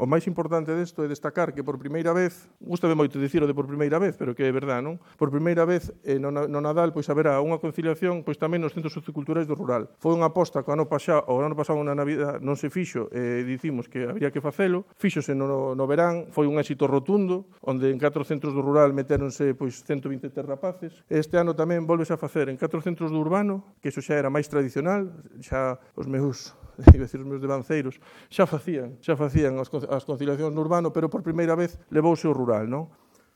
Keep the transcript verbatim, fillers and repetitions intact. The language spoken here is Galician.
O máis importante desto é destacar que por primeira vez, gústame moito dicir o de por primeira vez, pero que é verdad, non? Por primeira vez eh, no, no Nadal pois haberá unha conciliación pois tamén nos centros socioculturais do rural. Foi unha aposta que o ano pasado, o ano pasado na Navidad non se fixo e eh, dicimos que habría que facelo. Fíxose no, no verán, foi un éxito rotundo, onde en catro centros do rural metéronse pois ciento vinte e tres rapaces. Este ano tamén volves a facer en catro centros do urbano, que iso xa era máis tradicional, xa os meus iba a decir os meus devanceiros, xa facían, xa facían as conciliacións no urbano, pero por primeira vez levouse o rural, non?